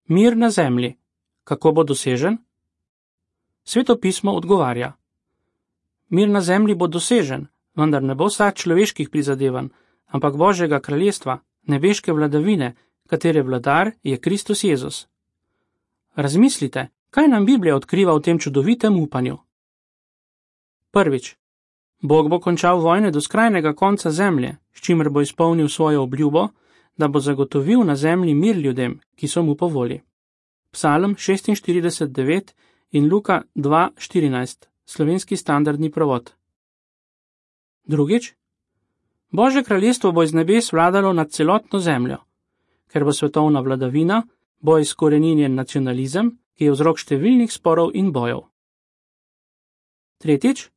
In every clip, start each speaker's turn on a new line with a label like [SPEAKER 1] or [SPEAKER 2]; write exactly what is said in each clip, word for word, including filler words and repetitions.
[SPEAKER 1] Mir na zemlji. Kako bo dosežen? Sveto pismo odgovarja. Mir na zemlji bo dosežen, vendar ne bo sad človeških prizadevanj, ampak Božjega kraljestva, nebeške vladavine, katere vladar je Kristus Jezus. Razmislite, kaj nam Biblija odkriva v tem čudovitem upanju. Prvič. Bog bo končal vojne do skrajnega konca zemlje, s čimer bo izpolnil svojo obljubo, da bo zagotovil na zemlji mir ljudem, ki so mu po volji. Psalm šestinštirideset devet in Luka dva štirinajst, slovenski standardni prevod. Drugič. Božje kraljestvo bo iz nebes vladalo nad celotno zemljo. Ker bo svetovna vladavina, bo izkoreninjen nacionalizem, ki je vzrok številnih sporov in bojev. Tretjič.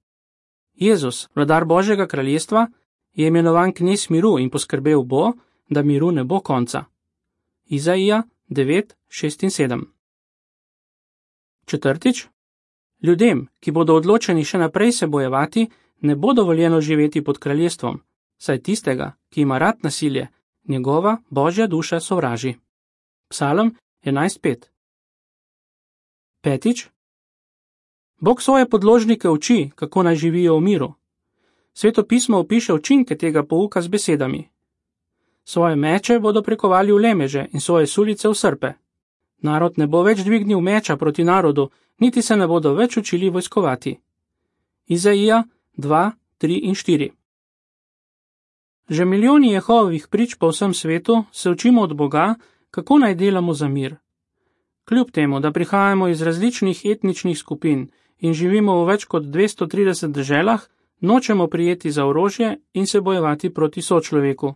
[SPEAKER 1] Jezus, vladar Božjega kraljestva, je imenovan knez miru in poskrbel bo, da miru ne bo konca. Izaija devet šest in sedem. Četrtič. Ljudem, ki bodo odločeni še naprej se bojevati, ne bo dovoljeno živeti pod kraljestvom, saj tistega, ki ima rad nasilje, njegova Božja duša sovraži. Psalm enajst pet. Petič. Bog svoje podložnike uči, kako naj živijo v miru. Sveto pismo opiše učinke tega pouka z besedami. Svoje meče bodo prekovali v lemeže in svoje sulice v srpe. Narod ne bo več dvignil meča proti narodu, niti se ne bodo več učili vojskovati. Izaija dva tri in štiri. Že milijoni Jehovovih prič po vsem svetu se učimo od Boga, kako naj delamo za mir. Kljub temu, da prihajamo iz različnih etničnih skupin in živimo v več kot dvesto trideset deželah, nočemo prijeti za orožje in se bojevati proti sočloveku.